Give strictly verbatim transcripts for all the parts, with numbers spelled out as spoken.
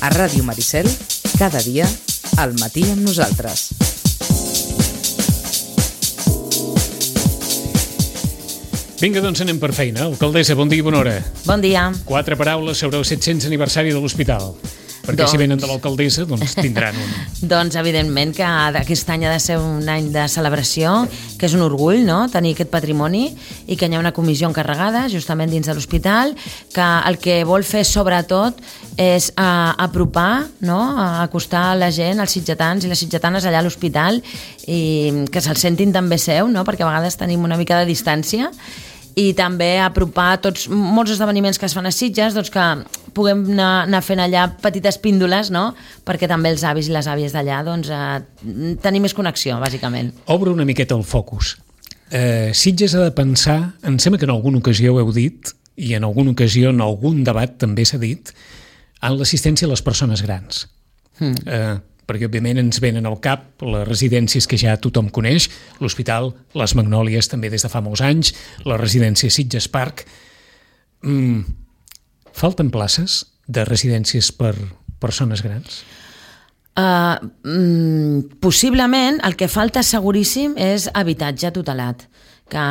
A Ràdio Maricel, cada dia, al matí amb nosaltres. Vinga, doncs anem per feina. Alcaldessa, bon dia i bona hora. Bon dia. Quatre paraules sobre el set-cents aniversari de l'hospital. Perquè doncs... si venen de l'alcaldessa, doncs tindran un... Doncs evidentment que aquest any ha de ser un any de celebració, que és un orgull, no?, tenir aquest patrimoni, i que hi ha una comissió encarregada justament dins de l'hospital, que el que vol fer sobretot és a, apropar, no?, a acostar la gent, els sitgetans i les sitgetanes allà a l'hospital, i que se'l sentin també seu, no?, perquè a vegades tenim una mica de distància, i també apropar tots, molts esdeveniments que es fan a Sitges, doncs que puguem anar, anar fent allà petites píndoles, no?, perquè també els avis i les àvies d'allà doncs, eh, tenir més connexió, bàsicament. Obre una miqueta el focus. Eh, Sitges ha de pensar, em sembla que en alguna ocasió ho heu dit, i en alguna ocasió en algun debat també s'ha dit, en l'assistència a les persones grans. Mm. Eh, perquè òbviament ens venen al cap les residències que ja tothom coneix, l'hospital, les Magnòlies també des de fa molts anys, la residència Sitges Park. Mm, falten places de residències per persones grans? Uh, mm, possiblement el que falta seguríssim és habitatge tutelat. Que,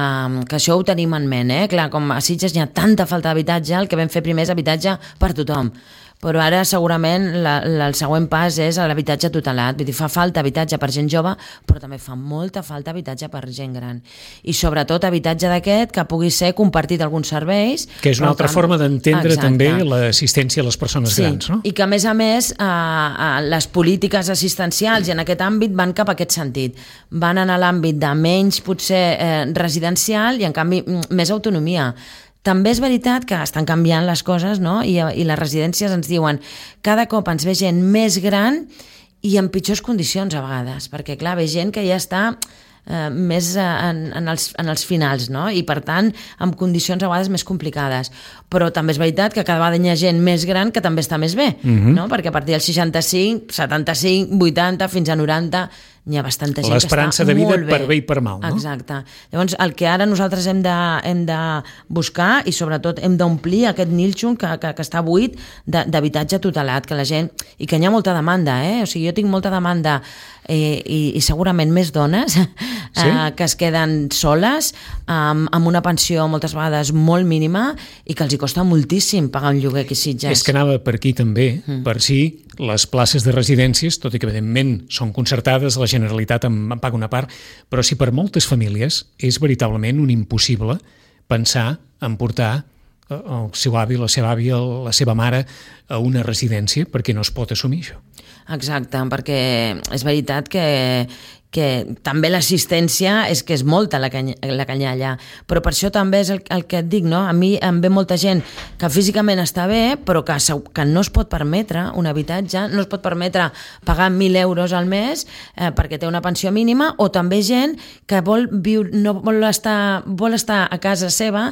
que això ho tenim en ment, eh? Clar, com a Sitges hi ha tanta falta d'habitatge, el que vam fer primer és habitatge per tothom. Però ara segurament la, la, el següent pas és l'habitatge tutelat. Vull dir, fa falta habitatge per gent jove, però també fa molta falta habitatge per gent gran. I sobretot habitatge d'aquest que pugui ser compartit alguns serveis. Que és una altra que... forma d'entendre també l'assistència a les persones sí, grans, no? I que a més a més eh, eh, les polítiques assistencials i en aquest àmbit van cap a aquest sentit. Van anar a l'àmbit de menys potser eh, residencial i en canvi més autonomia. També és veritat que estan canviant les coses, no? I, i les residències ens diuen cada cop ens ve gent més gran i en pitjors condicions a vegades, perquè clar, ve gent que ja està eh, més en, en, els, en els finals, no? I per tant amb condicions a vegades més complicades, però també és veritat que cada vegada hi ha gent més gran que també està més bé, uh-huh. no? Perquè a partir dels seixanta-cinc, setanta-cinc, vuitanta fins a noranta hi ha bastanta gent que està molt bé. L'esperança de vida per bé i per mal, no? Exacte. Llavors, el que ara nosaltres hem de, hem de buscar i sobretot hem d'omplir aquest nínxol que, que, que està buit d'habitatge tutelat, que la gent... I que hi ha molta demanda, eh? O sigui, jo tinc molta demanda eh, i, i segurament més dones eh, sí? que es queden soles amb, amb una pensió moltes vegades molt mínima i que els hi costa moltíssim pagar un lloguer aquí a Sitges. És que anava per aquí també, mm. per si les places de residències, tot i que evidentment són concertades, la Generalitat en, en paga una part, però si per moltes famílies és veritablement un impossible pensar en portar el seu avi, la seva àvia, la seva mare a una residència perquè no es pot assumir això. Exacte, perquè és veritat que que també l'assistència és que és molta la que, la que hi ha allà, però per això també és el, el que et dic, no? A mi em ve molta gent que físicament està bé, però que, que no es pot permetre un habitatge, no es pot permetre pagar mil euros al mes eh, perquè té una pensió mínima, o també gent que vol viure, no vol estar, vol estar a casa seva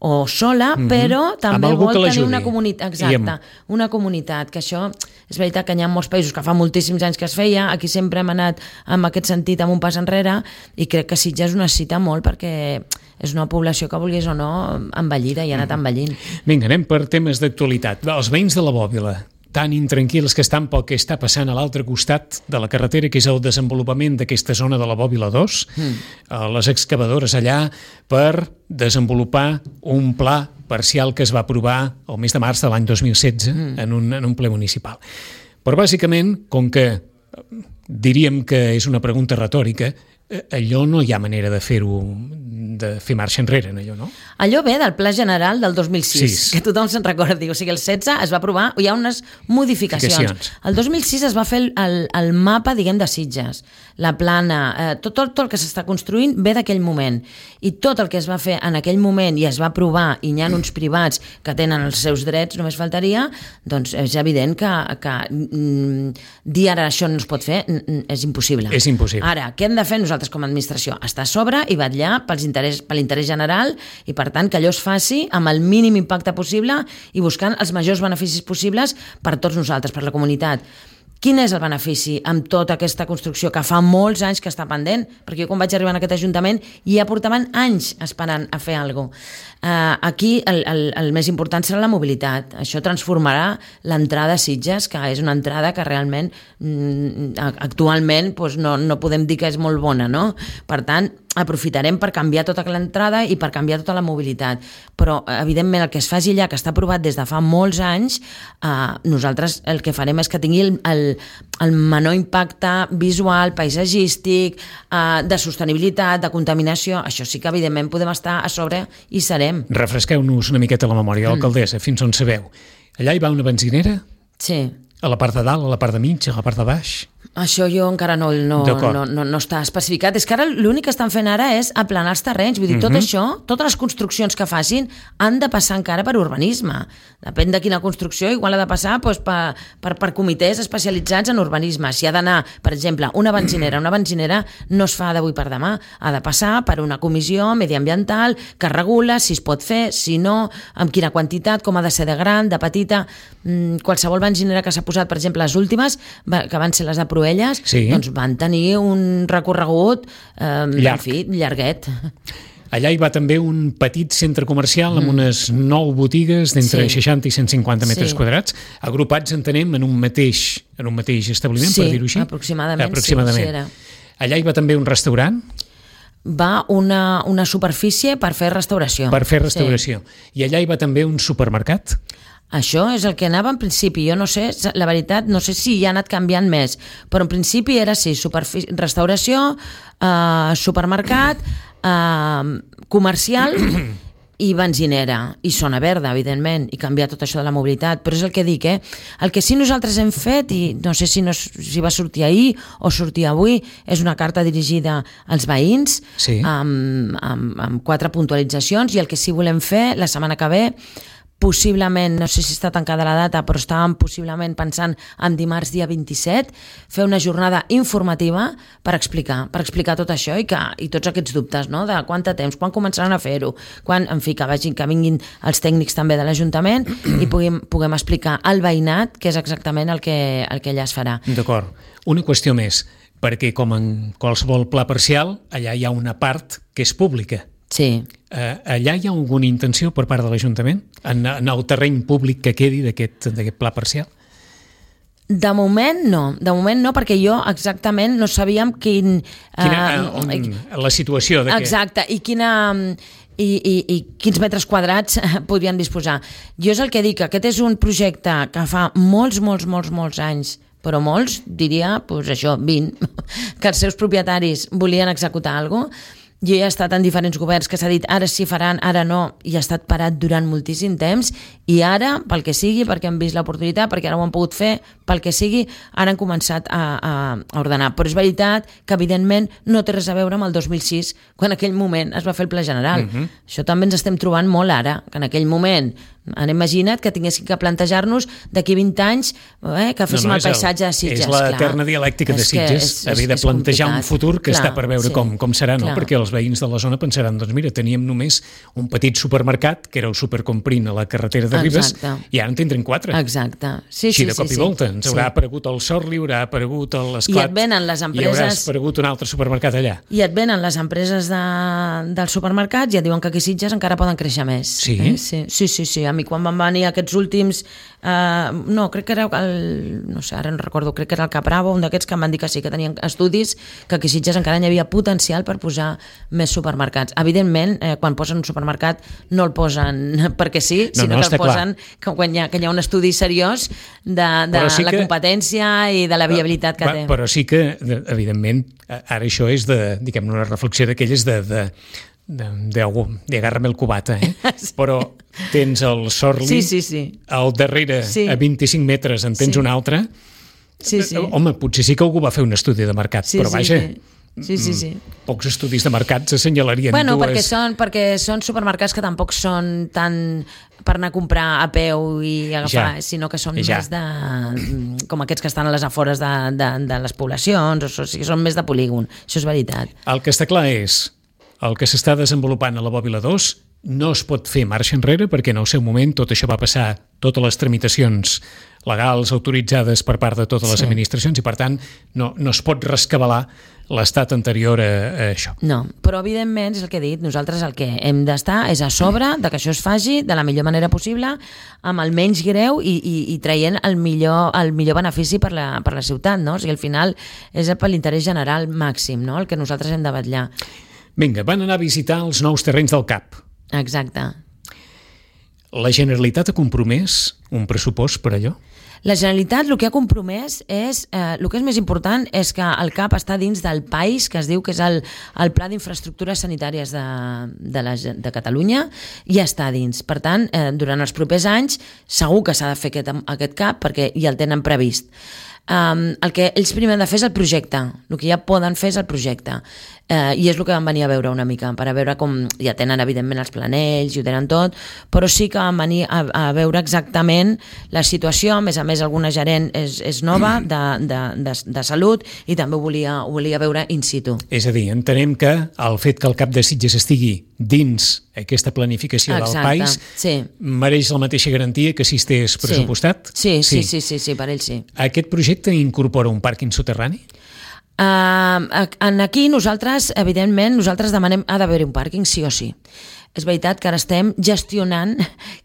o sola, mm-hmm. però també vol tenir una comunitat, exacte, amb... una comunitat, que això és veritat que hi ha molts països que fa moltíssims anys que es feia, aquí sempre hem anat amb aquest sentit, amb un pas enrere, i crec que Sitges ho necessita molt perquè és una població que vulguis o no envellida i ha anat envellint. Vinga, anem per temes d'actualitat. Els veïns de la Bòbila, tan intranquils que estan pel que està passant a l'altre costat de la carretera, que és el desenvolupament d'aquesta zona de la Bòbila dos, mm. les excavadores allà per desenvolupar un pla parcial que es va aprovar el mes de març de l'any dos mil setze mm. en, un, en un ple municipal. Però bàsicament, com que diríem que és una pregunta retòrica, allò no hi ha manera de fer-ho, de fer marxa enrere, allò, no? Allò ve del Pla General del dos mil sis, sis. Que tothom se'n recordi. O sigui, el setze es va aprovar, hi ha unes modificacions. El dos mil sis es va fer el, el, el mapa, diguem, de Sitges, la plana, eh, tot, tot, tot el que s'està construint ve d'aquell moment. I tot el que es va fer en aquell moment i es va aprovar, i hi ha uns privats que tenen els seus drets, només faltaria, doncs és evident que, que mm, dir ara això no es pot fer mm, és impossible. És impossible. Ara, què hem de fer nosaltres com a administració? Estar a sobre i vetllar pels interès, per l'interès general, i per tant que allò es faci amb el mínim impacte possible i buscant els majors beneficis possibles per tots nosaltres, per la comunitat. Quin és el benefici amb tota aquesta construcció que fa molts anys que està pendent? Perquè jo quan vaig arribar en aquest Ajuntament ja portaven anys esperant a fer alguna cosa. Uh, aquí el, el, el més important serà la mobilitat. Això transformarà l'entrada a Sitges, que és una entrada que realment mm, actualment doncs no, no podem dir que és molt bona, no? Per tant, aprofitarem per canviar tota l'entrada i per canviar tota la mobilitat. Però, evidentment, el que es faci allà, que està aprovat des de fa molts anys, eh, nosaltres el que farem és que tingui el, el, el menor impacte visual, paisatgístic, eh, de sostenibilitat, de contaminació. Això sí que, evidentment, podem estar a sobre i serem. Refresqueu-nos una miqueta la memòria, alcaldessa, mm. fins on sabeu. Allà hi va una benzinera? Sí. A la part de dalt, a la part de mig, a la part de baix? Això jo encara no, no, no, no, no està especificat. És que ara l'únic que estan fent ara és aplanar els terrenys. Vull dir, tot uh-huh. això, totes les construccions que facin han de passar encara per urbanisme. Depèn de quina construcció, igual ha de passar doncs, per, per, per comitès especialitzats en urbanisme. Si ha d'anar, per exemple, una benzinera, una benzinera no es fa d'avui per demà. Ha de passar per una comissió mediambiental que regula si es pot fer, si no, amb quina quantitat, com ha de ser de gran, de petita. Qualsevol benzinera que s'ha posat, per exemple, les últimes, que van ser les de Proelles, sí. doncs van tenir un recorregut eh, Llarg. en fi, llarguet. Allà hi va també un petit centre comercial amb mm. unes nou botigues d'entre sí. seixanta i cent cinquanta metres sí. quadrats, agrupats, entenem, en un mateix, en un mateix establiment, sí, per dir-ho així? aproximadament. aproximadament. Sí, sí era. Allà hi va també un restaurant? Va una, una superfície per fer restauració. Per fer restauració. Sí. I allà hi va també un supermercat? Això és el que anava en principi. Jo no sé, la veritat, no sé si ja ha anat canviant més, però en principi era sí, restauració, eh, supermercat, eh, comercial i benzinera, i zona verda, evidentment, i canviar tot això de la mobilitat. Però és el que dic, eh? El que sí nosaltres hem fet, i no sé si, no, si va sortir ahir o sortir avui, és una carta dirigida als veïns, sí. amb, amb, amb quatre puntualitzacions, i el que sí volem fer la setmana que ve, possiblement, no sé si està tancada la data, però estàvem possiblement pensant en dimarts dia vint-i-set, fer una jornada informativa per explicar, per explicar tot això i, que, i tots aquests dubtes, no? De quant de temps, quan començaran a fer-ho, quan, en fi, que vagin, que vinguin els tècnics també de l'Ajuntament i puguem, puguem explicar al veïnat què és exactament el que, el que allà es farà. D'acord. Una qüestió més, perquè com en qualsevol pla parcial, allà hi ha una part que és pública. Sí. Uh, allà hi ha alguna intenció per part de l'Ajuntament en, en el terreny públic que quedi d'aquest pla parcial? De moment no, de moment no, perquè jo exactament no sabíem quin... Quina, uh, on, la situació de exacte, i quina... I, i, i quins metres quadrats podrien disposar. Jo és el que dic, aquest és un projecte que fa molts, molts, molts, molts anys, però molts, diria, doncs això, vint, que els seus propietaris volien executar alguna cosa. Jo he estat en diferents governs que s'ha dit ara sí faran, ara no, i ha estat parat durant moltíssim temps, i ara, pel que sigui, perquè han vist l'oportunitat, perquè ara ho han pogut fer, pel que sigui, ara han començat a, a, a ordenar. Però és veritat que, evidentment, no té res a veure amb el dos mil sis, quan en aquell moment es va fer el Pla General. Uh-huh. Això també ens estem trobant molt ara, que en aquell moment han imaginat que tinguéssim que plantejar-nos d'aquí vint anys eh, que féssim no, no, el paisatge de Sitges. És l'eterna dialèctica de Sitges, haver de plantejar un futur que clar, està per veure sí, com, com serà, no? Perquè els veïns de la zona pensaran, doncs mira, teníem només un petit supermercat, que era el Supercomprint a la carretera de Ribes, exacte. I ara en tindrem quatre. Exacte. Sí, sí, sí, de cop sí, i volta. Ens sí. haurà aparegut el Sorli, haurà aparegut l'Esclat, i et venen les empreses... i haurà aparegut un altre supermercat allà. I et venen les empreses de, dels supermercats i et diuen que aquí Sitges encara poden créixer més. Sí? Eh? Sí, sí, sí, sí. A mi quan van venir aquests últims... Uh, no, crec que era el... No sé, ara no recordo, crec que era el Capravo, un d'aquests que em van dir que sí, que tenien estudis, que aquí Sitges encara hi havia potencial per posar més supermercats. Evidentment, eh, quan posen un supermercat no el posen perquè sí, no, sinó no, que el posen que, quan hi ha, que hi ha un estudi seriós de, de sí la que, competència i de la viabilitat que va, té. Però sí que, evidentment, ara això és de, diguem, una reflexió d'aquelles de... de de, de, de agarra-me el cubata, eh? Però tens el Sorli, sí, sí, sí. al darrere, sí. a vint-i-cinc metres en tens sí. un altre. Sí, sí. Home, potser sí que algú va fer un estudi de mercat, sí, però vaja... Sí, sí, sí, sí. Pocs estudis de mercat s'assenyalarien bueno, dues... perquè són, perquè són supermercats que tampoc són tan per anar a comprar a peu i agafar, ja. sinó que són ja. més de... com aquests que estan a les afores de, de, de les poblacions, o sigui, són més de polígon. Això és veritat. El que està clar és... El que s'està desenvolupant a la Bòbila dos no es pot fer marxa enrere perquè en el seu moment tot això va passar, totes les tramitacions legals autoritzades per part de totes les Sí. administracions i, per tant, no, no es pot rescabalar l'estat anterior a, a això. No, però evidentment és el que he dit, nosaltres el que hem d'estar és a sobre de que això es faci de la millor manera possible, amb el menys greu i, i, i traient el millor, el millor benefici per la, per la ciutat, no? O sigui, al final és per l'interès general màxim, no? El que nosaltres hem de vetllar. Vinga, van anar a visitar els nous terrenys del C A P. Exacte. La Generalitat ha compromès un pressupost per allò? La Generalitat el que ha compromès és, eh, el que és més important és que el C A P està dins del PAIS, que es diu que és el, el Pla d'Infraestructures Sanitàries de, de, la, de Catalunya, i està dins. Per tant, eh, durant els propers anys segur que s'ha de fer aquest, aquest C A P perquè ja el tenen previst. Um, el que ells primer han de fer és el projecte, el que ja poden fer és el projecte, uh, i és el que van venir a veure una mica, per a veure com ja tenen evidentment els planells i ho tenen tot, però sí que van venir a, a veure exactament la situació. A més a més, alguna gerent és, és nova de, de, de, de salut i també ho volia, ho volia veure in situ. És a dir, entenem que el fet que el C A P de Sitges estigui dins aquesta planificació Exacte, del PAIS sí. mereix la mateixa garantia que si estigués pressupostat? Sí, sí, sí, sí, sí, sí, per ell sí. Aquest projecte incorpora un pàrquing soterrani? Uh, en aquí nosaltres, evidentment, nosaltres demanem ha d'haver un pàrquing sí o sí. És veritat que ara estem gestionant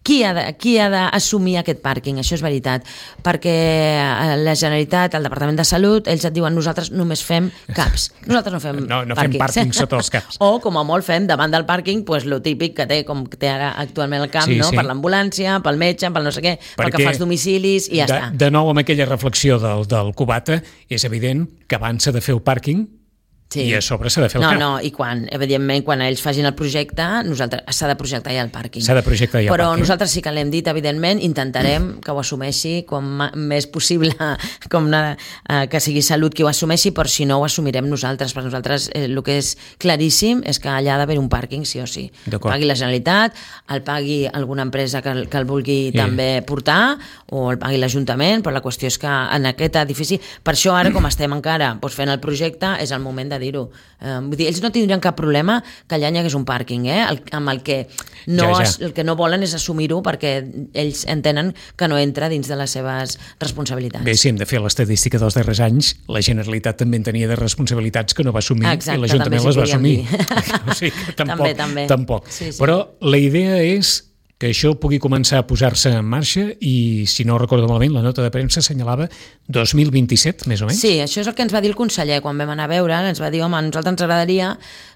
qui ha, de, qui ha d'assumir aquest pàrquing, això és veritat, perquè la Generalitat, el Departament de Salut, ells et diuen nosaltres només fem CAPs, nosaltres no fem no, no pàrquings. fem pàrquing sota els CAPs. O, com a molt, fem davant del pàrquing pues, lo típic que té, com té ara actualment el CAP, sí, no? Sí. Per l'ambulància, pel metge, pel no sé què, perquè pel que fa als domicilis i ja de, està. De nou, amb aquella reflexió del, del Cubata, és evident que abans s'ha de fer el pàrquing sí. i a sobre s'ha de fer el no, CAP. No, i quan, evidentment, quan ells facin el projecte, nosaltres s'ha de projectar ja el pàrquing. S'ha de projectar ja el Però pàrquing. nosaltres sí que l'hem dit, evidentment, intentarem que ho assumeixi com més possible, com una, eh, que sigui Salut qui ho assumeixi, però si no ho assumirem nosaltres. Per nosaltres eh, el que és claríssim és que allà ha d'haver un pàrquing sí o sí. El pagui la Generalitat, el pagui alguna empresa que el, que el vulgui sí. també portar, o el pagui l'Ajuntament, però la qüestió és que en aquest edifici, per això ara com estem encara doncs, fent el projecte, és el moment de dir-ho. Eh, vull dir, ells no tindrien cap problema que allà hi hagués un pàrquing, eh? el, amb el que no, ja, ja. Es, el que no volen és assumir-ho perquè ells entenen que no entra dins de les seves responsabilitats. Bé, si hem de fer l'estadística dels darrers anys, la Generalitat també en tenia de responsabilitats que no va assumir. Exacte, i l'Ajuntament les va assumir. O sigui, tampoc, també, també. tampoc. Sí, sí. Però la idea és que això pugui començar a posar-se en marxa i, si no recordo malament, la nota de premsa assenyalava dos mil vint-i-set, més o menys? Sí, això és el que ens va dir el conseller quan vam anar a veure, ens va dir, home, a nosaltres ens agradaria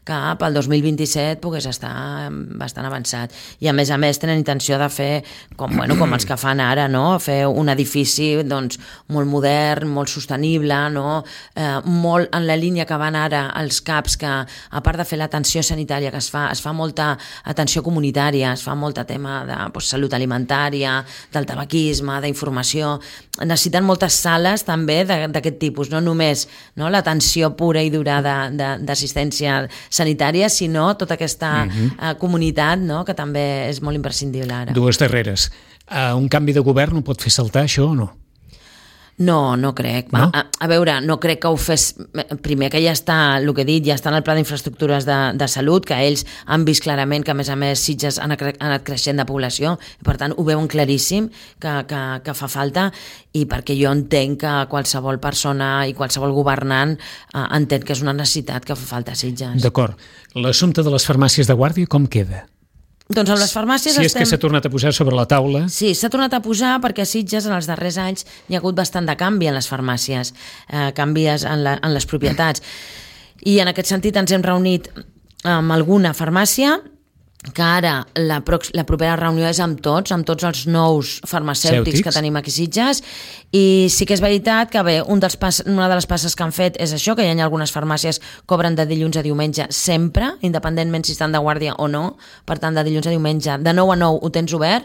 que pel dos mil vint-i-set pogués estar bastant avançat. I a més a més tenen intenció de fer, com, bueno, com els que fan ara, no? Fer un edifici doncs, molt modern, molt sostenible, no? eh, molt en la línia que van ara els CAPs, que a part de fer l'atenció sanitària que es fa, es fa molta atenció comunitària, es fa molta tema de pues, salut alimentària, del tabaquisme, d'informació. Necessiten moltes sales també d'aquest tipus, no només no, l'atenció pura i dura d'assistència sanitària, sinó tota aquesta uh-huh. uh, comunitat no, que també és molt imprescindible ara. Dues darreres. Uh, un canvi de govern ho pot fer saltar això o no? No, no crec. No? A, a veure, no crec que ho fes... Primer que ja està, el que he dit, ja està en el Pla d'Infraestructures de, de Salut, que ells han vist clarament que, a més a més, Sitges han anat creixent de població, i per tant ho veuen claríssim que, que, que fa falta, i perquè jo entenc que qualsevol persona i qualsevol governant eh, entén que és una necessitat que fa falta a Sitges. D'acord. L'assumpte de les farmàcies de guàrdia com queda? Doncs amb les farmàcies si és estem... que s'ha tornat a posar sobre la taula... Sí, s'ha tornat a posar perquè a Sitges en els darrers anys hi ha hagut bastant de canvi en les farmàcies, eh, canvis en, la, en les propietats. I en aquest sentit ens hem reunit amb alguna farmàcia, que ara la, la propera reunió és amb tots, amb tots els nous farmacèutics Cèutics. que tenim aquí a Sitges, i sí que és veritat que bé, un dels pas, una de les passes que han fet és això, que hi ha algunes farmàcies que obren de dilluns a diumenge sempre, independentment si estan de guàrdia o no, per tant de dilluns a diumenge, de nou a nou ho tens obert.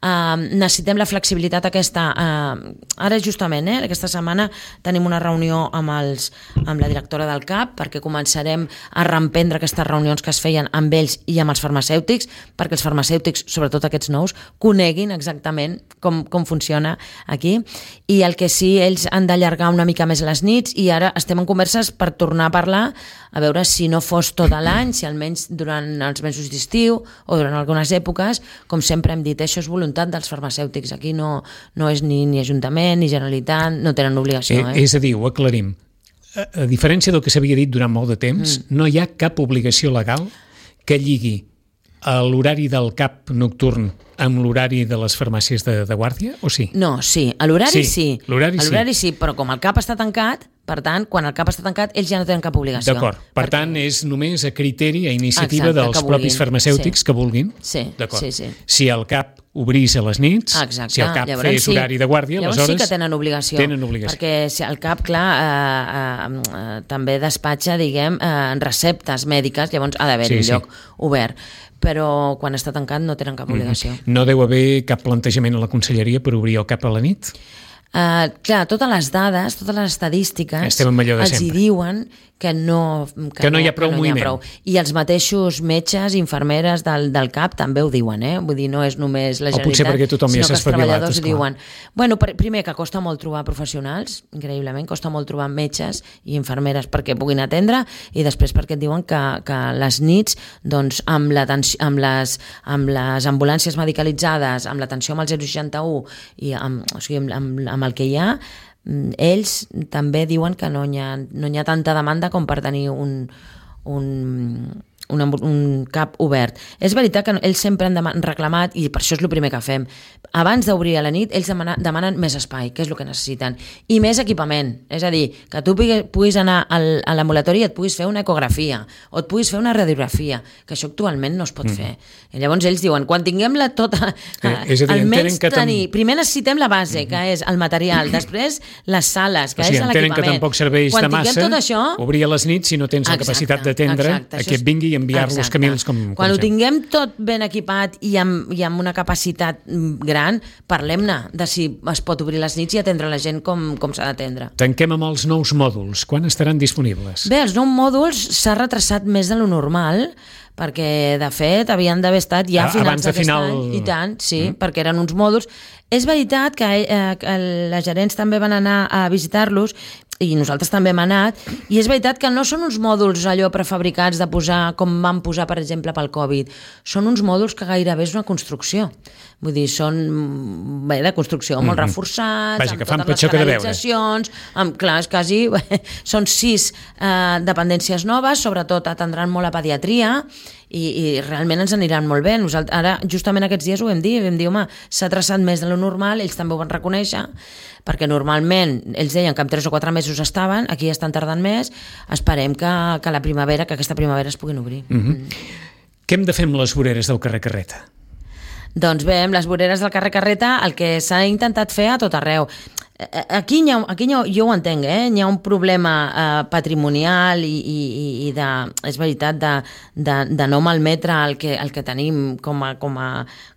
Uh, necessitem la flexibilitat aquesta, uh, ara justament, eh, aquesta setmana tenim una reunió amb, els, amb la directora del CAP perquè començarem a reemprendre aquestes reunions que es feien amb ells i amb els farmacèutics farmacèutics, perquè els farmacèutics, sobretot aquests nous, coneguin exactament com, com funciona aquí, i el que sí, ells han d'allargar una mica més les nits, i ara estem en converses per tornar a parlar, a veure si no fos tot l'any, si almenys durant els mesos d'estiu o durant algunes èpoques, com sempre hem dit, això és voluntat dels farmacèutics, aquí no, no és ni, ni Ajuntament ni Generalitat, no tenen obligació. Eh? Eh, és a dir, ho aclarim. A, a diferència del que s'havia dit durant molt de temps, mm. no hi ha cap obligació legal que lligui l'horari del C A P nocturn amb l'horari de les farmàcies de, de guàrdia, o sí? No, sí, a l'horari sí. sí. L'horari sí. L'horari sí, però com el C A P està tancat, per tant, quan el C A P està tancat, ells ja no tenen cap obligació. D'acord. Per perquè... tant, és només a criteri, a iniciativa Exacte, dels propis farmacèutics sí. que vulguin. Sí, D'acord. sí, sí. Si el C A P obrís a les nits, Exacte. si el C A P llavors, fes sí. horari de guàrdia, llavors aleshores... sí que tenen obligació. Tenen obligació. Perquè si el C A P, clar, eh, eh, eh, també despatxa, diguem, eh, receptes mèdiques, llavors ha d'haver sí, un sí. lloc obert. Però quan està tancat no tenen cap obligació. Mm-hmm. No deu haver cap plantejament a la conselleria per obrir el C A P a la nit? Uh, clar, totes les dades, totes les estadístiques els hi diuen que no, que que no, no hi ha prou no moviment. Ha prou. I els mateixos metges i infermeres del, del C A P també ho diuen, eh? Vull dir, no és només la Generalitat, potser perquè tothom ja sinó que els treballadors esclar. diuen... Bueno, per, primer, que costa molt trobar professionals, increïblement, costa molt trobar metges i infermeres perquè puguin atendre, i després perquè et diuen que, que les nits, doncs, amb, amb, les, amb les ambulàncies medicalitzades, amb l'atenció amb el zero seixanta u i amb, o sigui, amb, amb, amb el que hi ha, ells també diuen que no hi ha, no hi ha tanta demanda com per tenir un, un, un, un C A P obert. És veritat que ells sempre han reclamat, i per això és el primer que fem, abans d'obrir a la nit, ells demanen, demanen més espai, que és el que necessiten, i més equipament, és a dir, que tu puguis anar al, a l'ambulatori i et puguis fer una ecografia, o et puguis fer una radiografia, que això actualment no es pot mm. fer. I llavors ells diuen, quan tinguem la tota... Eh, és a dir, almenys que tenir... Tam... Primer necessitem la base, que és el material, després les sales, que o sigui, és l'equipament. Que tampoc serveix quan de massa tot això... obrir a les nits si no tens exacte, la capacitat d'atendre a que et vingui i enviar-los camins com... com quan ho sempre. tinguem tot ben equipat i amb, i amb una capacitat gran, parlem de si es pot obrir les nits i atendre la gent com, com s'ha d'atendre. Tanquem amb els nous mòduls. Quan estaran disponibles? Bé, els nous mòduls s'ha retrasat més de lo normal, perquè, de fet, havien d'haver estat ja a finals d'aquest final... any, i tant, sí, mm. perquè eren uns mòduls. És veritat que, eh, que les gerents també van anar a visitar-los, i nosaltres també hem anat, i és veritat que no són uns mòduls allò prefabricats de posar, com van posar, per exemple, pel Covid. Són uns mòduls que gairebé és una construcció. Vull dir, són bé, de construcció molt mm-hmm. reforçats, Vaja, amb totes les canalitzacions, amb, clar, és quasi, són sis eh, dependències noves, sobretot atendran molt a pediatria, i, i realment ens aniran molt bé. Nosaltres, ara, justament aquests dies ho vam dir, vam dir, home, s'ha traçat més de lo normal, ells també ho van reconèixer, perquè normalment ells deien que en tres o quatre mesos estaven, aquí estan tardant més, esperem que, que la primavera, que aquesta primavera es puguin obrir. Mm-hmm. Mm. Què hem de fer amb les voreres del carrer Carreta? Doncs bé, amb les voreres del carrer Carreta el que s'ha intentat fer a tot arreu. Aquí, ha, aquí ha, jo ho entenc, eh? Hi ha un problema eh, patrimonial i, i, i de, és veritat, de, de, de no malmetre el que, el que tenim com a, com a,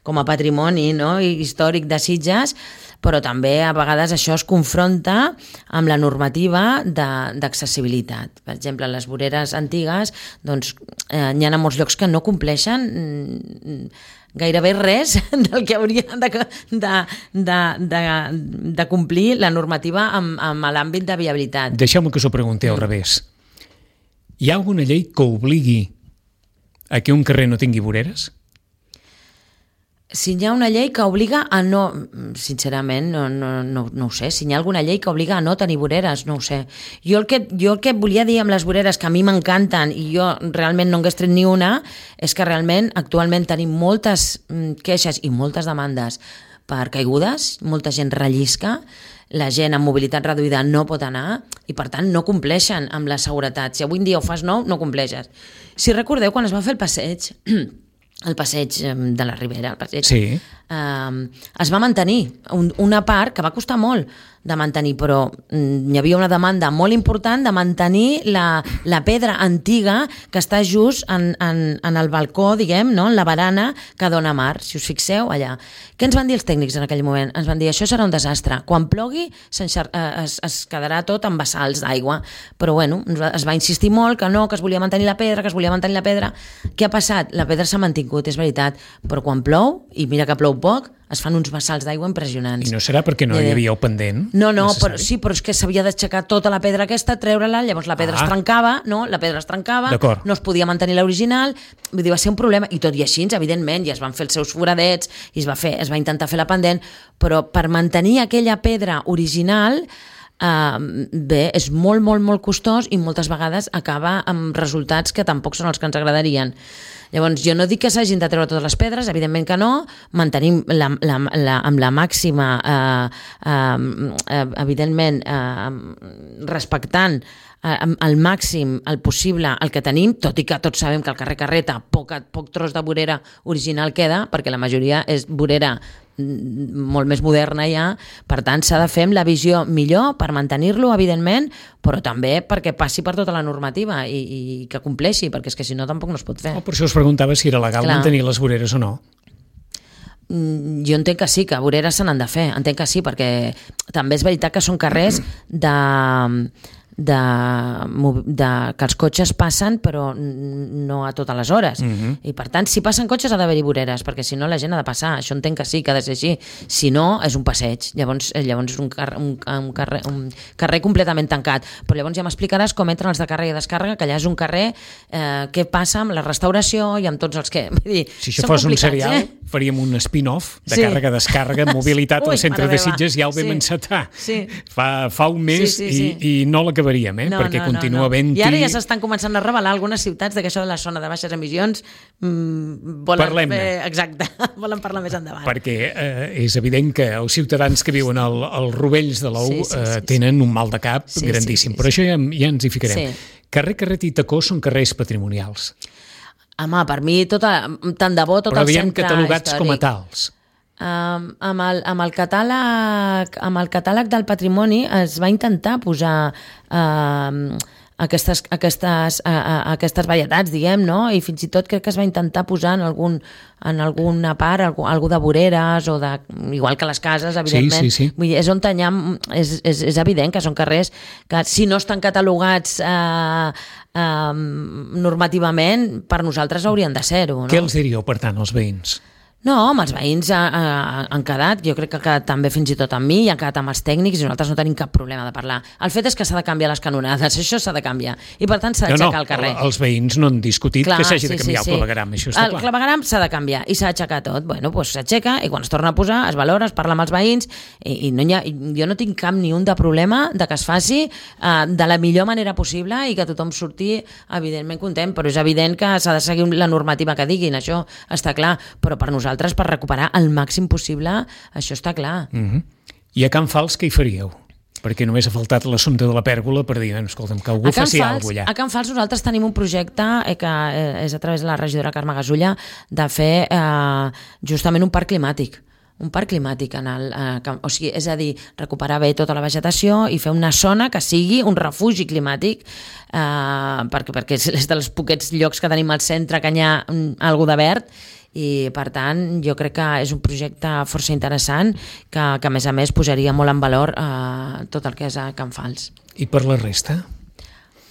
com a patrimoni, no? històric de Sitges, però també a vegades això es confronta amb la normativa d'accessibilitat. Per exemple, les voreres antigues, doncs, eh, hi ha a molts llocs que no compleixen mm, gairebé res del que hauria de, de, de, de, de complir la normativa amb, amb l'àmbit de viabilitat. Deixeu-me que us ho pregunti al revés. Hi ha alguna llei que obligui a que un carrer no tingui voreres? Si hi ha una llei que obliga a no... Sincerament, no, no, no, no ho sé. Si hi ha alguna llei que obliga a no tenir voreres, no ho sé. Jo el que, jo el que volia dir amb les voreres, que a mi m'encanten i jo realment no hagués tret ni una, és que realment actualment tenim moltes queixes i moltes demandes per caigudes, molta gent rellisca, la gent amb mobilitat reduïda no pot anar i per tant no compleixen amb la seguretat. Si avui en dia ho fas nou, no compleixes. Si recordeu, quan es va fer el passeig... el passeig de la Ribera, el passeig, sí. eh, es va mantenir. Un, una part que va costar molt de mantenir, però mm, hi havia una demanda molt important de mantenir la, la pedra antiga que està just en, en, en el balcó, diguem, no? En la barana que dona mar, si us fixeu, allà. Què ens van dir els tècnics en aquell moment? Ens van dir, això serà un desastre. Quan plogui es, es quedarà tot amb bassals d'aigua. Però bueno, es va insistir molt que no, que es volia mantenir la pedra, que es volia mantenir la pedra. Què ha passat? La pedra s'ha mantingut, és veritat, però quan plou, i mira que plou poc, es fan uns bassals d'aigua impressionants. I no serà perquè no hi havia el pendent? No, no, però, sí, però és que s'havia d'aixecar tota la pedra aquesta, treure-la, llavors la pedra ah. es trencava, no? La pedra es trencava, no es podia mantenir l'original, vull dir, va ser un problema, i tot i així, evidentment, ja es van fer els seus foradets, i es va, fer, es va intentar fer la pendent, però per mantenir aquella pedra original, Uh, bé, és molt, molt, molt costós i moltes vegades acaba amb resultats que tampoc són els que ens agradarien. Llavors, jo no dic que s'hagin de treure totes les pedres, evidentment que no, mantenim la, la, la, amb la màxima, uh, uh, evidentment, uh, respectant al màxim el possible el que tenim, tot i que tots sabem que al carrer Carreta poc, poc tros de vorera original queda, perquè la majoria és vorera molt més moderna ja, per tant s'ha de fer amb la visió millor per mantenir-lo, evidentment, però també perquè passi per tota la normativa i, i que compleixi, perquè és que si no tampoc no es pot fer. Oh, per això us preguntava si era legal Clar. mantenir les voreres o no. Jo entenc que sí, que voreres se n'han de fer, entenc que sí, perquè també és veritat que són carrers de... De, de, que els cotxes passen però no a totes les hores uh-huh. i per tant si passen cotxes ha d'haver-hi voreres perquè si no la gent ha de passar, això entenc que sí que ha de ser així, si no és un passeig llavors, llavors és un, car un, un, carrer, un carrer completament tancat, però llavors ja m'explicaràs com entren els de càrrega i descàrrega, que allà és un carrer eh, què passa amb la restauració i amb tots els que... Vull dir, si això fos un serial eh? faríem un spin-off de sí. càrrega-descàrrega, mobilitat Ui, al centre de Sitges, ja el vam sí. encetar sí. fa, fa un mes sí, sí, sí. I, i no l'acabem Eh? No, perquè no, continua no, no. havent-hi... I ara ja s'estan començant a revelar algunes ciutats de que això de la zona de baixes emissions mmm, volen fer... Exacte, volen parlar més endavant. Perquè eh, és evident que els ciutadans que viuen al, als rovells de l'Ou sí, sí, sí, eh, tenen un mal de cap sí, grandíssim, sí, sí, però sí. això ja, ja ens hi ficarem. Sí. Carrer Carret i Tacó són carrers patrimonials. Home, per mi, tota, tant de bo, tot però el centre històric. Però catalogats com a tals. Um, amb, el, amb, el catàleg, amb el catàleg del patrimoni es va intentar posar uh, aquestes, aquestes, uh, aquestes varietats, diguem, no? I fins i tot crec que es va intentar posar en, algun, en alguna part algú, algú de voreres o de, igual que les cases, evidentment. Sí, sí, sí. Vull dir, és on ha, és, és, és evident que són carrers que si no estan catalogats uh, uh, normativament, per nosaltres haurien de ser-ho. No? Què els diríeu, per tant, als veïns? No, amb els veïns ha, ha, han quedat, jo crec que ha quedat també fins i tot amb mi, i han quedat amb els tècnics i nosaltres no tenim cap problema de parlar. El fet és que s'ha de canviar les canonades, això s'ha de canviar, i per tant s'ha d'aixecar no, no, el carrer. Els veïns no han discutit clar, que s'hagi de canviar sí, sí, el clavegueram, això està el clar. El clavegueram s'ha de canviar i s'ha d'aixecar tot. Bueno, doncs s'aixeca i quan es torna a posar es valora, es parla amb els veïns i, i no ha, jo no tinc cap ni un de problema de que es faci uh, de la millor manera possible i que tothom surti evidentment content, però és evident que s'ha de seguir la normativa que diguin, això està clar, però per nosaltres, per recuperar al màxim possible, això està clar. Uh-huh. I a Can Fals què hi faríeu? Perquè només ha faltat l'assumpte de la pèrgola per dir, escolta'm, que algú faci alguna cosa allà. A Can Fals nosaltres tenim un projecte eh, que és a través de la regidora Carme Gasulla de fer eh, justament un parc climàtic. un parc climàtic en el, eh, o sigui, és a dir, recuperar bé tota la vegetació i fer una zona que sigui un refugi climàtic eh, perquè, perquè és dels poquets llocs que tenim al centre que hi ha alguna de verd i per tant jo crec que és un projecte força interessant que, que a més a més posaria molt en valor eh, tot el que és a Can Fals. I per la resta?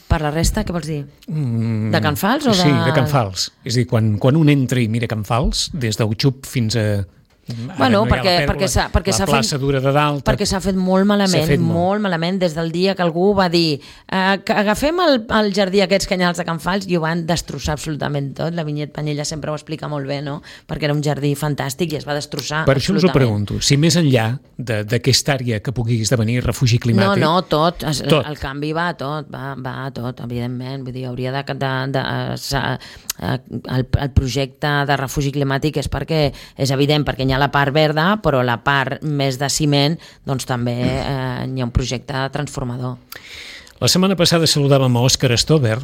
Per la resta, què vols dir? Mm, de Can Fals? O de... Sí, de Can Fals. És a dir, quan, quan un entra i mira Can Fals, des d'Uxup fins a... Ara bueno, no perquè, pèrgola, perquè s'ha perquè la plaça fet, dura de dalt perquè s'ha fet molt malament, fet molt. molt malament des del dia que algú va dir eh, que agafem el, el jardí aquests canyals de Can Fals i ho van destrossar absolutament tot. La Vinyet Panyella sempre ho explica molt bé, no? Perquè era un jardí fantàstic i es va destrossar per això us ho pregunto, si més enllà d'aquesta àrea que pugui esdevenir refugi climàtic... No, no, tot, es, tot. El canvi va a tot, va, va a tot, evidentment, vull dir, hauria de... de, de, de el, el projecte de refugi climàtic és perquè és evident, perquè hi ha la part verda però la part més de ciment doncs també eh, hi ha un projecte transformador. La setmana passada saludàvem a Òscar Stover,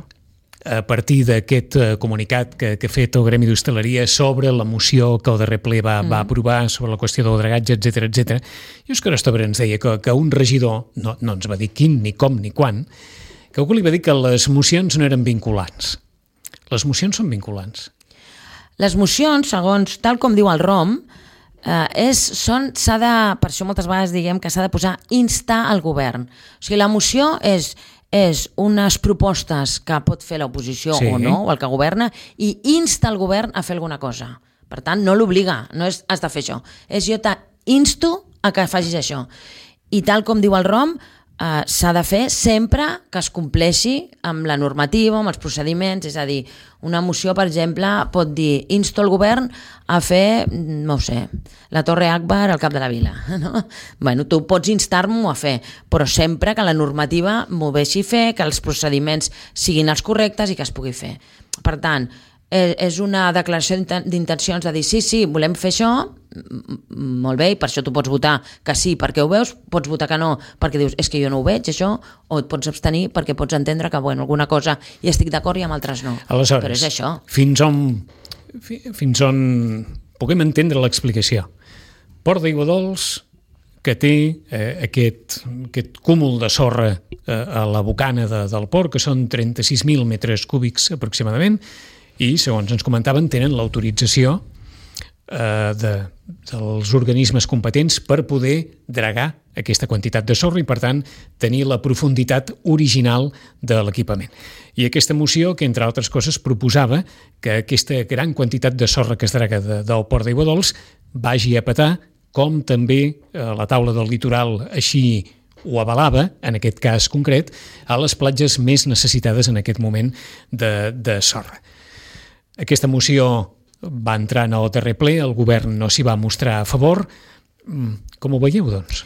a partir d'aquest comunicat que, que ha fet el Gremi d'Hostaleria sobre la moció que el darrer ple va, mm. va aprovar sobre la qüestió del dragatge, etcètera, etcètera. I Òscar Estobra ens deia que, que un regidor, no, no ens va dir quin, ni com, ni quan, que algú li va dir que les mocions no eren vinculants. Les mocions són vinculants. Les mocions, segons tal com diu el R O M, eh, és, són, s'ha de, per això moltes vegades diguem que s'ha de posar instar al govern. O sigui, la moció és... és unes propostes que pot fer l'oposició sí. o no, o el que governa, i insta el govern a fer alguna cosa. Per tant, no l'obliga, no és has de fer això. És jo t'insto a que facis això. I tal com diu el R O M, eh, s'ha de fer sempre que es compleixi amb la normativa, amb els procediments, és a dir, una moció, per exemple, pot dir insto el govern a fer, no ho sé, la Torre Akbar al cap de la vila. No? Bueno, tu pots instar-m'ho a fer, però sempre que la normativa m'ho deixi fer, que els procediments siguin els correctes i que es pugui fer. Per tant, és una declaració d'intencions de dir sí, sí, volem fer això, molt bé, i per això tu pots votar que sí perquè ho veus, pots votar que no perquè dius és que jo no ho veig això, o et pots abstenir perquè pots entendre que bueno, alguna cosa hi estic d'acord i amb altres no. Aleshores, però és això. Fins on, fins on puguem entendre l'explicació. Port d'Aiguadols, que té eh, aquest, aquest cúmul de sorra eh, a la bocana de, del port, que són trenta-sis mil metres cúbics aproximadament, i, segons ens comentaven, tenen l'autorització eh, de, dels organismes competents per poder dragar aquesta quantitat de sorra i, per tant, tenir la profunditat original de l'equipament. I aquesta moció, que entre altres coses proposava que aquesta gran quantitat de sorra que es draga de, del Port d'Aiguadols vagi a petar, com també eh, la taula del litoral així ho avalava, en aquest cas concret, a les platges més necessitades en aquest moment de, de sorra. Aquesta moció va entrar en el darrer ple, el govern no s'hi va mostrar a favor. Com ho veieu, doncs?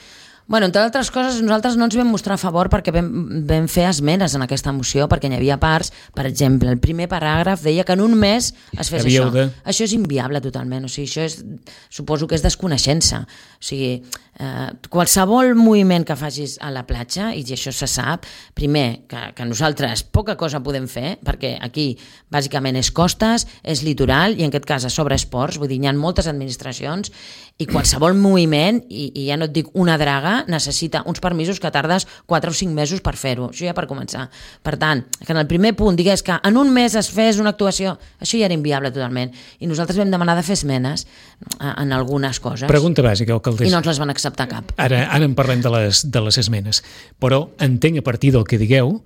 Bueno, entre altres coses, nosaltres no ens vam mostrar a favor perquè vam, vam fer esmenes en aquesta moció, perquè n'hi havia parts, per exemple, el primer paràgraf deia que en un mes es fes això. De... Això és inviable totalment, o sigui, això és, suposo que és desconeixença. O sigui, eh, qualsevol moviment que facis a la platja, i això se sap, primer, que, que nosaltres poca cosa podem fer, perquè aquí bàsicament és costes, és litoral, i en aquest cas a sobre és ports, vull dir, hi ha moltes administracions, i qualsevol moviment, i, i ja no et dic una draga, necessita uns permisos que tardes quatre o cinc mesos per fer-ho, això ja per començar. Per tant, que en el primer punt digués que en un mes es fes una actuació, això ja era inviable totalment, i nosaltres vam demanar de fer esmenes en algunes coses. Pregunta bàsica, alcaldessa. I no ens les van acceptar cap. Ara, ara en parlem de les, de les esmenes, però entenc a partir del que digueu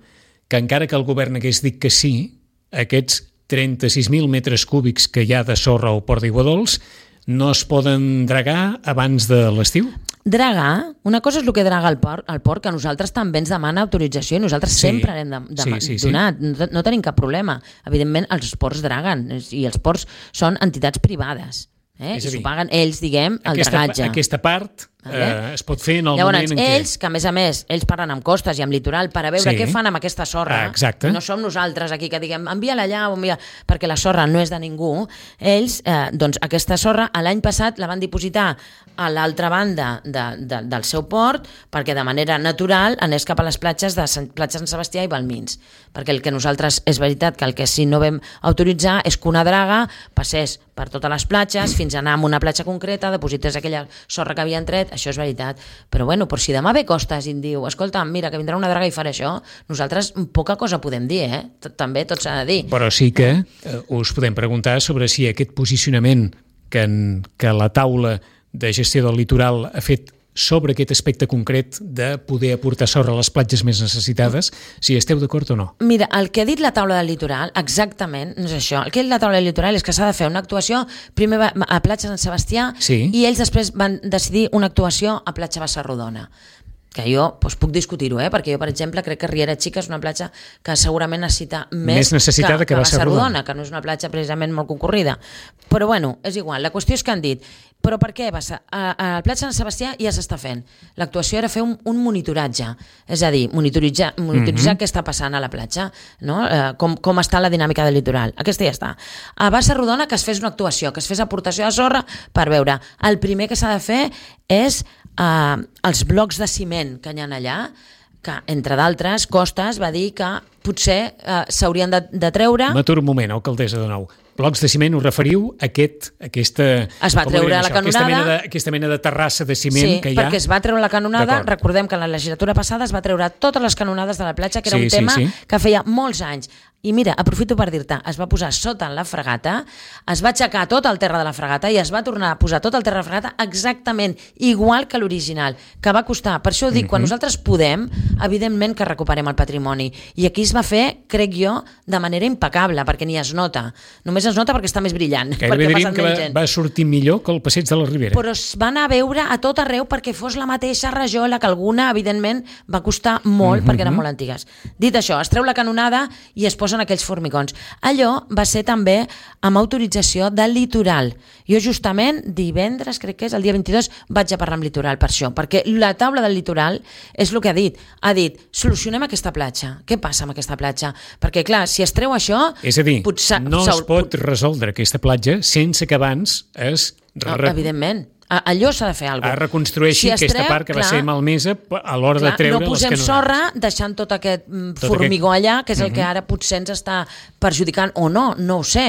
que encara que el govern hagués dit que sí, aquests trenta-sis mil metres cúbics que hi ha de sorra al Port d'Aiguadols no es poden dragar abans de l'estiu? Dragar, una cosa és el que draga el port, el port, que a nosaltres també ens demana autorització i nosaltres sí, sempre l'hem de, de, sí, sí, donat, sí. No, no tenim cap problema. Evidentment, els ports draguen, i els ports són entitats privades. Eh? I s'ho paguen ells, diguem, el aquesta, dragatge. Aquesta part eh, es pot fer en el Llavors, moment en ells, què... que a més a més, ells parlen amb costes i amb litoral per a veure sí. què fan amb aquesta sorra. Ah, exacte. No som nosaltres aquí que diguem envia-la allà o envia... perquè la sorra no és de ningú. Ells, eh, doncs aquesta sorra, l'any passat la van dipositar a l'altra banda de, de, del seu port perquè de manera natural anés cap a les platges de Sant, platja Sant Sebastià i Balmins. Perquè el que nosaltres, és veritat que el que sí no vam autoritzar és que una draga passés per totes les platges fins a anar a una platja concreta, deposités aquella sorra que havien tret, això és veritat. Però bueno, però si demà ve Costas i em diu, escolta, mira, que vindrà una draga i faré això, nosaltres poca cosa podem dir, eh? També tot s'ha de dir. Però sí que eh, us podem preguntar sobre si aquest posicionament que, en, que la taula de gestió del litoral ha fet sobre aquest aspecte concret de poder aportar sorra a les platges més necessitades, si esteu d'acord o no? Mira, el que ha dit la taula del litoral, exactament, no és això. El que ha dit la taula del litoral és que s'ha de fer una actuació primer a platja Sant Sebastià sí. i ells després van decidir una actuació a platja Bassarrodona. Que jo doncs, puc discutir-ho, eh? Perquè jo, per exemple, crec que Riera Xica és una platja que segurament necessita més, més necessitada que, que Bassarrodona, que no és una platja precisament molt concorrida. Però bueno, és igual, la qüestió és que han dit, però per què? A, a la platja Sant Sebastià ja s'està fent. L'actuació era fer un, un monitoratge, és a dir, monitoritzar, monitoritzar mm-hmm. què està passant a la platja, no? eh, com, com està la dinàmica del litoral. Aquesta ja està. A Bassarrodona que es fes una actuació, que es fes aportació de sorra per veure. El primer que s'ha de fer és Uh, els blocs de ciment que hi ha allà, que entre d'altres Costas va dir que potser eh, s'haurien de, de treure. M'aturo un moment, alcaldessa de nou. Blocs de ciment, us referiu a aquest, aquesta... Es va treure la canonada. Aquesta mena, de, aquesta mena de terrassa de ciment sí, que hi ha. Sí, perquè es va treure la canonada. Recordem que en la legislatura passada es va treure totes les canonades de la platja, que era sí, un tema sí, sí. que feia molts anys. I mira, aprofito per dir-te, es va posar sota en la fregata, es va aixecar tot el terra de la fregata i es va tornar a posar tot el terra de la fregata exactament igual que l'original, que va costar. Per això ho dic, mm-hmm. quan nosaltres podem, evidentment que recuperem el patrimoni. I aquí es va fer, crec jo, de manera impecable, perquè ni es nota. Només es nota perquè està més brillant. Gairebé diríem que va, va sortir millor que el passeig de la Ribera. Però es va anar a veure a tot arreu perquè fos la mateixa rajola, que alguna, evidentment, va costar molt, mm-hmm. perquè eren molt antigues. Dit això, es treu la canonada i es posa en aquells formigons. Allò va ser també amb autorització del Litoral. Jo justament divendres, crec que és el dia vint-i-dos, vaig a parlar amb Litoral per això, perquè la taula del Litoral és el que ha dit. Ha dit, solucionem aquesta platja. Què passa amb aquesta platja? Perquè, clar, si es treu això... És a dir, potser, no es pot resoldre aquesta platja sense que abans es... No, evidentment. Allò s'ha de fer alguna cosa. Es reconstrueixi si aquesta part que clar, va ser malmesa a l'hora de treure les canonades. No posem sorra deixant tot aquest tot formigó aquest... allà, que és el uh-huh. que ara potser ens està perjudicant, o no, no ho sé.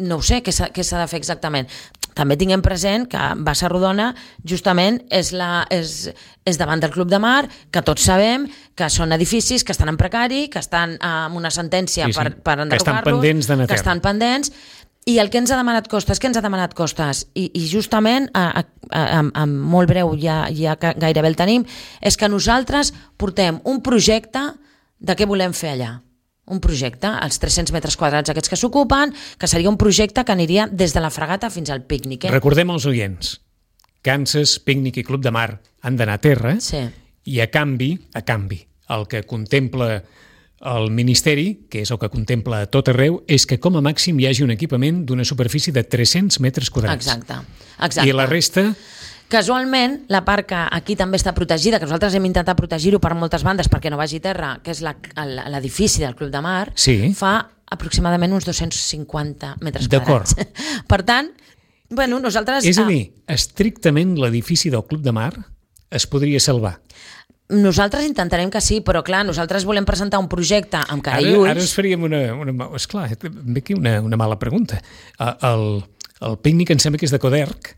No ho sé què s'ha, què s'ha de fer exactament. També tinguem present que Bassa Rodona justament és, la, és, és davant del Club de Mar, que tots sabem que són edificis que estan en precari, que estan amb una sentència sí, sí. per, per enderrocar-los, que estan pendents de neteja. Que estan pendents. I el que ens ha demanat Costes, què ens ha demanat Costes? I, i justament, a, a, a, a molt breu, ja, ja gairebé el tenim, és que nosaltres portem un projecte de què volem fer allà. Un projecte, els tres-cents metres quadrats aquests que s'ocupen, que seria un projecte que aniria des de la fregata fins al pícnic. Eh? Recordem als oients, Kansas, Pícnic i Club de Mar han d'anar a terra sí. i a canvi, a canvi, el que contempla el Ministeri, que és el que contempla a tot arreu, és que com a màxim hi hagi un equipament d'una superfície de tres-cents metres quadrats. Exacte. Exacte. I la resta... Casualment, la part que aquí també està protegida, que nosaltres hem intentat protegir-ho per moltes bandes perquè no vagi a terra, que és la, l'edifici del Club de Mar, sí. fa aproximadament uns dos-cents cinquanta metres D'acord. quadrats. Per tant, bueno, nosaltres... És a dir, estrictament l'edifici del Club de Mar es podria salvar. Nosaltres intentarem que sí, però clar, nosaltres volem presentar un projecte amb cara i ulls. Ara us faríem una... una esclar, ve aquí una, una mala pregunta. El, el pícnic em sembla que és de Coderc.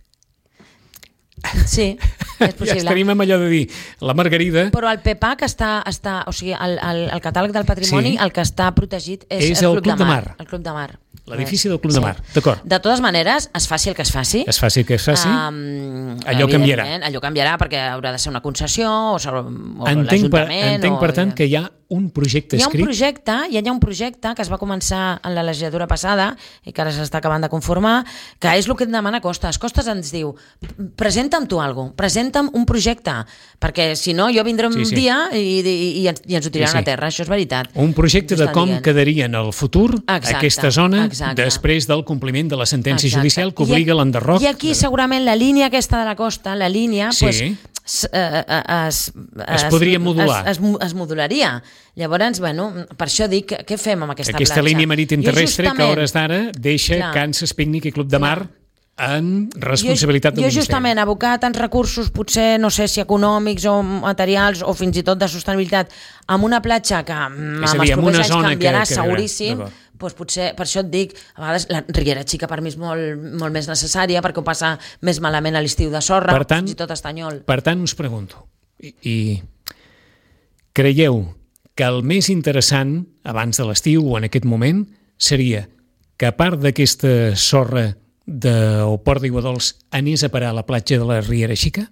Sí, és possible. Ja estaríem amb allò de dir la Margarida... Però el P P A C està, està o sigui, el, el, el catàleg del patrimoni, sí. el que està protegit és, és el, el Club, Club de Mar. El Club de Mar. L'edifici del Club sí. de Mar, d'acord. De totes maneres, es faci el que es faci. Es faci el que es faci, um, allò canviarà. Allò canviarà perquè haurà de ser una concessió o, o entenc per, l'Ajuntament. Entenc, o... per tant, que hi ha un projecte escrit. Hi ha un escrit. projecte, hi ha un projecte que es va començar en la legislatura passada i que ara s'està acabant de conformar, que és el que et demana Costes. Costes ens diu, presenta'm tu alguna cosa, presenta'm un projecte, perquè si no jo vindré un sí, sí. dia i, i, i, ens, i ens ho tiraran sí, sí. a terra, això és veritat. Un projecte de com dient. quedaria en el futur exacte, aquesta zona exacte. després del compliment de la sentència exacte. judicial que obliga I, l'enderroc. I aquí segurament la línia aquesta de la costa, la línia, sí. pues, es, es, es podria modular. Es, es, es modularia. Llavors, bueno, per això dic, què fem amb aquesta, aquesta platja? Aquesta línia marítim terrestre que a hores d'ara deixa clar, Kansas Pícnic i Club de Mar en responsabilitat jo, del jo justament Ministeri. abocar tants recursos, potser no sé si econòmics o materials o fins i tot de sostenibilitat, amb una platja que amb dir, els propers anys canviarà que, que seguríssim, doncs potser, per això et dic, a vegades la Riera Xica per mi és molt, molt més necessària perquè ho passa més malament a l'estiu de sorra, per tant, fins i tot Estanyol. Per tant, us pregunto, i, i creieu que el més interessant abans de l'estiu o en aquest moment seria que a part d'aquesta sorra del Port d'Aiguadols anés a parar a la platja de la Riera Xica?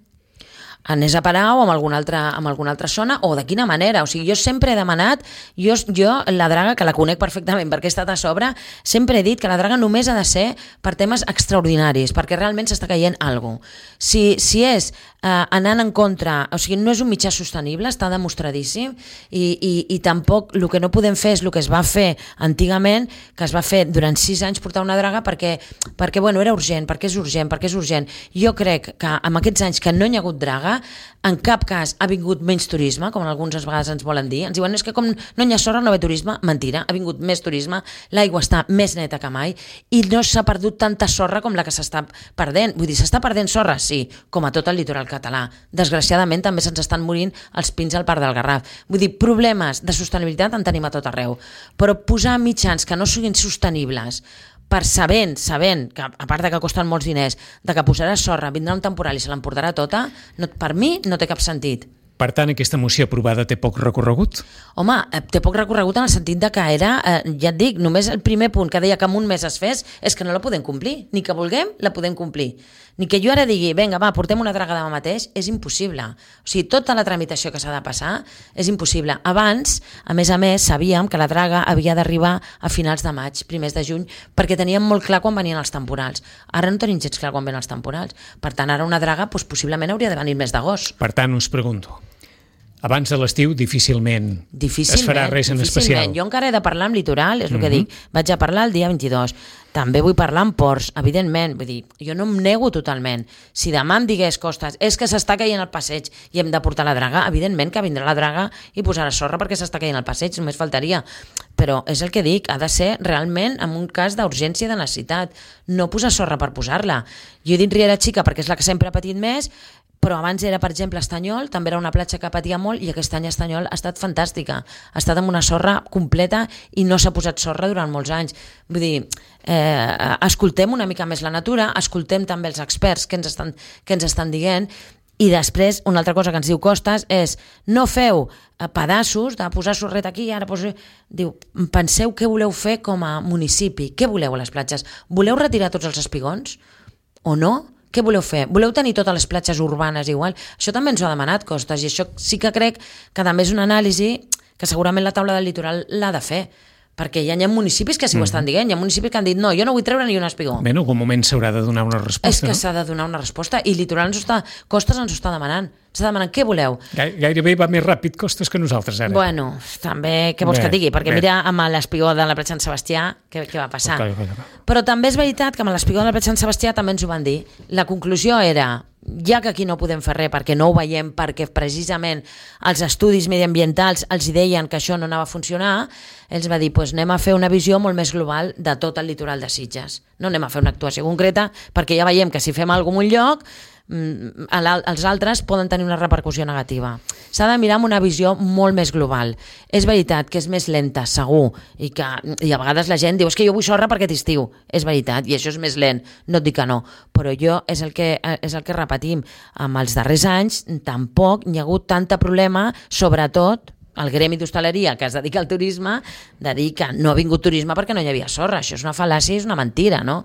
Anés a parar o amb alguna altra, amb alguna altra zona, o de quina manera. O sigui, jo sempre he demanat, jo, jo la draga, que la conec perfectament perquè he estat a sobre, sempre he dit que la draga només ha de ser per temes extraordinaris, perquè realment s'està caient alguna cosa. Si, si és eh, anant en contra, o sigui, no és un mitjà sostenible, està demostradíssim, i, i, i tampoc el que no podem fer és el que es va fer antigament, que es va fer durant sis anys portar una draga perquè, perquè bueno, era urgent, perquè és urgent, perquè és urgent. Jo crec que amb aquests anys que no hi ha hagut draga, draga, en cap cas ha vingut menys turisme, com alguns vegades ens volen dir. Ens diuen, és que com no hi ha sorra no ve turisme. Mentira, ha vingut més turisme, l'aigua està més neta que mai i no s'ha perdut tanta sorra com la que s'està perdent. Vull dir, s'està perdent sorra? Sí, com a tot el litoral català. Desgraciadament també se'ns estan morint els pins al Parc del Garraf. Vull dir, problemes de sostenibilitat en tenim a tot arreu, però posar mitjans que no siguin sostenibles per sabent, sabent, que a part de que costen molts diners, de que posarà sorra, vindrà un temporal i se l'emportarà tota, no, per mi no té cap sentit. Per tant, aquesta moció aprovada té poc recorregut? Home, té poc recorregut en el sentit de que era, eh, ja et dic, només el primer punt que deia que en un mes es fes és que no la podem complir. Ni que vulguem, la podem complir. Ni que jo ara digui, vinga, va, portem una draga demà mateix, és impossible. O sigui, tota la tramitació que s'ha de passar és impossible. Abans, a més a més, sabíem que la draga havia d'arribar a finals de maig, primers de juny, perquè teníem molt clar quan venien els temporals. Ara no tenim gens clar quan venen els temporals. Per tant, ara una draga doncs, possiblement hauria de venir el mes d'agost. Per tant, us pregunto, abans de l'estiu difícilment, difícilment es farà res en especial. Jo encara he de parlar amb litoral, és el Mm-hmm. que dic. Vaig a parlar el dia vint-i-dos. També vull parlar amb ports, evidentment. Vull dir, jo no em nego totalment. Si demà em digués, Costes, és que s'està caient el passeig i hem de portar la draga, evidentment que vindrà la draga i posarà sorra perquè s'està caient el passeig, només faltaria. Però és el que dic, ha de ser realment en un cas d'urgència i de necessitat. No posar sorra per posar-la. Jo he dit Riera Xica perquè és la que sempre ha patit més, però abans era, per exemple, Estanyol, també era una platja que patia molt i aquest any Estanyol ha estat fantàstica. Ha estat amb una sorra completa i no s'ha posat sorra durant molts anys. Vull dir, eh, escoltem una mica més la natura, escoltem també els experts que ens estan, que ens estan dient i després, una altra cosa que ens diu Costes és no feu pedaços de posar sorreta aquí i ara posar... Diu, penseu què voleu fer com a municipi, què voleu a les platges? Voleu retirar tots els espigons o no? Què voleu fer? Voleu tenir totes les platges urbanes igual? Això també ens ho ha demanat Costes i això sí que crec que també és una anàlisi que segurament la taula del litoral l'ha de fer, perquè ja hi ha municipis que sí ho estan dient, hi ha municipis que han dit no, jo no vull treure ni un espigó. Bé, en algun moment s'haurà de donar una resposta, És que no? s'ha de donar una resposta i litoral ens ho està, Costes ens ho està demanant. Està demanant què voleu. Gairebé va més ràpid Costes que nosaltres ara. Bueno, també què vols Bé, que et digui? Perquè bé. mira amb l'espigó de la platja Sant Sebastià què, què va passar. Ok, ok, ok. Però també és veritat que amb l'espigó de la platja Sant Sebastià també ens ho van dir. La conclusió era, ja que aquí no podem fer res perquè no ho veiem, perquè precisament els estudis mediambientals els deien que això no anava a funcionar, ells va dir, pues anem a fer una visió molt més global de tot el litoral de Sitges. No anem a fer una actuació concreta perquè ja veiem que si fem alguna cosa en un lloc els altres poden tenir una repercussió negativa. S'ha de mirar amb una visió molt més global. És veritat que és més lenta, segur, i que i a vegades la gent diu és que jo vull sorra perquè t'estiu. És veritat, i això és més lent, no et dic que no, però jo és el que, és el que repetim. Amb els darrers anys tampoc hi ha hagut tanta problema, sobretot el gremi d'hostaleria que es dedica al turisme, de dir que no ha vingut turisme perquè no hi havia sorra. Això és una fal·làcia, és una mentira, no?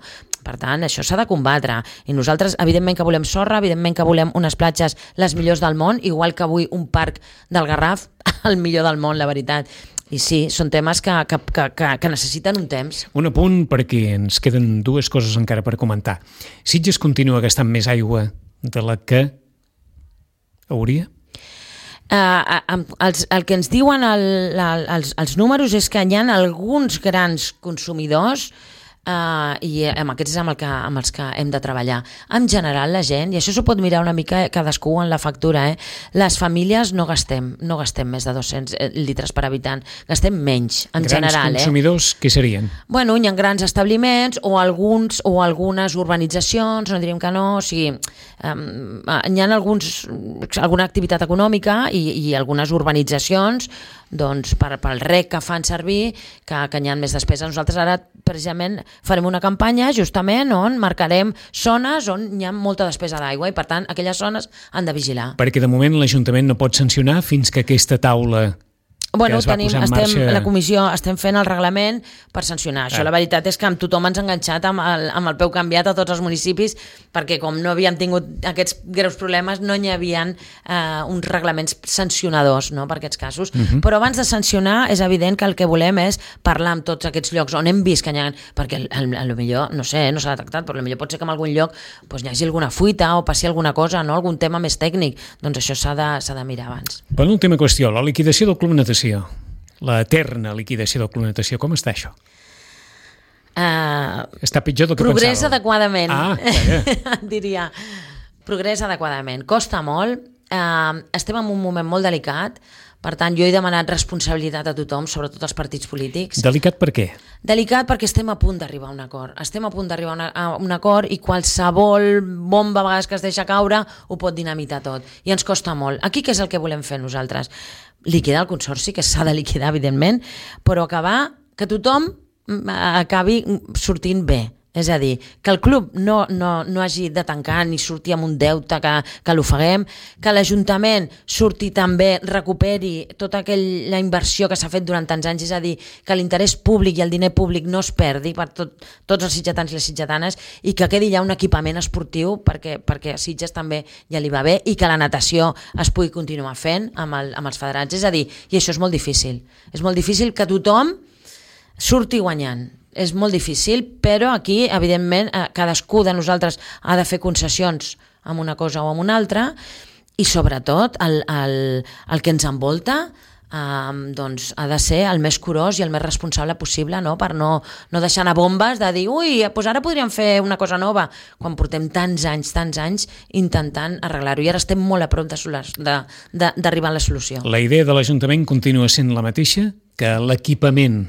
Per tant, això s'ha de combatre. I nosaltres, evidentment que volem sorra, evidentment que volem unes platges les millors del món, igual que avui un parc del Garraf, el millor del món, la veritat. I sí, són temes que, que, que, que necessiten un temps. Un apunt perquè ens queden dues coses encara per comentar. Sitges continua gastant més aigua de la que hauria? Uh, els, el que ens diuen el, el, els, els números és que hi ha alguns grans consumidors Uh, i amb aquests és amb, el que, amb els que hem de treballar. En general la gent, i això s'ho pot mirar una mica cadascú en la factura, eh? Les famílies no gastem, no gastem més de dos-cents litres per habitant, gastem menys en grans general. Grans consumidors, eh? Què serien? Bueno, hi ha grans establiments o alguns o algunes urbanitzacions, no diríem que no, o sigui, um, hi ha alguns, alguna activitat econòmica i, i algunes urbanitzacions doncs, per, pel rec que fan servir que, que hi ha més despesa. Nosaltres ara precisament farem una campanya justament on marcarem zones on hi ha molta despesa d'aigua i per tant aquelles zones han de vigilar. Perquè de moment l'Ajuntament no pot sancionar fins que aquesta taula Bueno, que es va tenim, posar en estem, marxa... la comissió estem fent el reglament per sancionar. Això Ah. la veritat és que amb tothom ens ha enganxat amb el, amb el peu canviat a tots els municipis perquè com no havíem tingut aquests greus problemes no hi havia eh, uns reglaments sancionadors, no?, per aquests casos. Uh-huh. Però abans de sancionar és evident que el que volem és parlar amb tots aquests llocs on hem vist que hi ha... Perquè a lo millor, no sé, no s'ha detectat, però a lo millor pot ser que en algun lloc doncs, hi hagi alguna fuita o passi alguna cosa, no?, algun tema més tècnic. Doncs això s'ha de, s'ha de mirar abans. Penúltima qüestió, la liquidació del Club Natació. La eterna liquidació del Club Natació. Com està això? Uh, Està pitjor del que progrés pensàveu. adequadament. Ah, vaja. Diria, progrés adequadament. Costa molt, eh, estem en un moment molt delicat. Per tant, jo he demanat responsabilitat a tothom, sobretot als partits polítics. Delicat per què? Delicat perquè estem a punt d'arribar a un acord. Estem a punt d'arribar a, una, a un acord i qualsevol bomba a vegades que es deixa caure ho pot dinamitar tot. I ens costa molt. Aquí què és el que volem fer nosaltres? Liquidar el consorci, que s'ha de liquidar, evidentment, però acabar que tothom acabi sortint bé. És a dir, que el club no, no, no hagi de tancar ni sortir amb un deute que, que l'ofeguem, que l'Ajuntament surti també, recuperi tota aquella inversió que s'ha fet durant tants anys, és a dir, que l'interès públic i el diner públic no es perdi per tot, tots els sitgetans i les sitgetanes i que quedi ja un equipament esportiu perquè, perquè a Sitges també ja li va bé i que la natació es pugui continuar fent amb, el, amb els federats. És a dir, i això és molt difícil. És molt difícil que tothom surti guanyant. És molt difícil, però aquí, evidentment, cadascú de nosaltres ha de fer concessions amb una cosa o amb una altra i, sobretot, el, el, el que ens envolta eh, doncs, ha de ser el més curós i el més responsable possible, no? Per no, no deixar anar bombes de dir ui, doncs ara podríem fer una cosa nova, quan portem tants anys, tants anys intentant arreglar-ho i ara estem molt a prop d'arribar a la solució. La idea de l'Ajuntament continua sent la mateixa, que l'equipament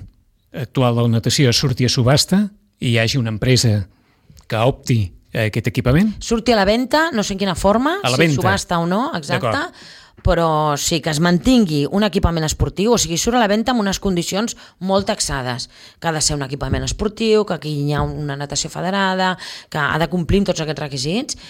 actual de la natació surti a subhasta i hi hagi una empresa que opti a aquest equipament? Surti a la venda, no sé en quina forma, a la si venda. Subhasta o no, exacte, però sí que es mantingui un equipament esportiu, o sigui, surt a la venda amb unes condicions molt taxades, que ha de ser un equipament esportiu, que aquí hi ha una natació federada, que ha de complir amb tots aquests requisits,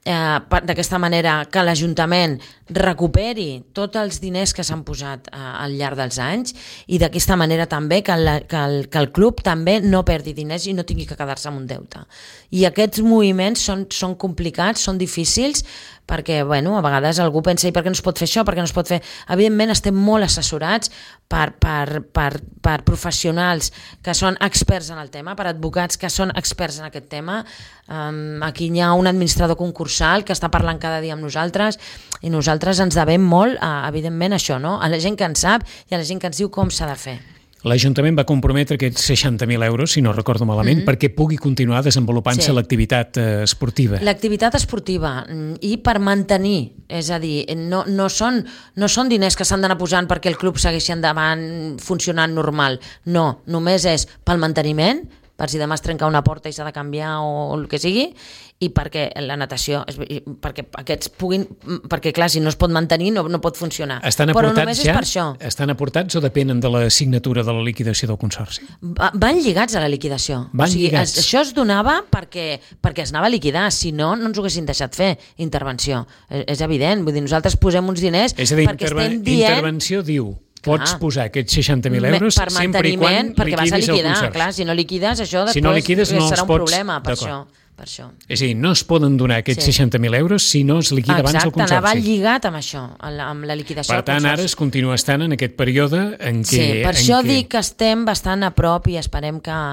Eh, d'aquesta manera que l'Ajuntament recuperi tots els diners que s'han posat eh, al llarg dels anys i d'aquesta manera també que, la, que, el, que el club també no perdi diners i no tingui que quedar-se amb un deute. I aquests moviments són, són complicats, són difícils, perquè bueno, a vegades algú pensa i per què no es pot fer això, per què no es pot fer... Evidentment estem molt assessorats per, per, per, per professionals que són experts en el tema, per advocats que són experts en aquest tema. Um, aquí hi ha un administrador concursal que està parlant cada dia amb nosaltres i nosaltres ens devem molt, a, evidentment, això, no? A la gent que en sap i a la gent que ens diu com s'ha de fer. L'Ajuntament va comprometre aquests seixanta mil euros, si no recordo malament, mm-hmm. perquè pugui continuar desenvolupant-se sí. l'activitat eh, esportiva. L'activitat esportiva i per mantenir, és a dir, no, no, són, no són diners que s'han d'anar posant perquè el club segueixi endavant funcionant normal, no, només és pel manteniment, per si demà es trenca una porta i s'ha de canviar o el que sigui, i perquè la natació, perquè aquests puguin, perquè clar, si no es pot mantenir no, no pot funcionar. Estan però aportats només ja? És per això. Estan aportats o depenen de la signatura de la liquidació del Consorci? Va, van lligats a la liquidació. Van o sigui, lligats. Es, això es donava perquè, perquè es anava a liquidar, si no, no ens ho haguessin deixat fer, intervenció. És, és evident, vull dir, nosaltres posem uns diners és a dir, perquè interve estem dient... intervenció diu... Pots clar. Posar aquests seixanta mil euros per sempre i quan perquè vas a liquidar. El clar, si no liquides, això després si no liquides, no serà un pots... problema per això, per això. És a dir, no es poden donar aquests sí. seixanta mil euros si no es liquida Exacte, abans el Consorci. Exacte, anava lligat amb això, amb la liquidació per tant, del Consorci. ara es continua estant en aquest període en què... Sí, per en això què... dic que estem bastant a prop i esperem que,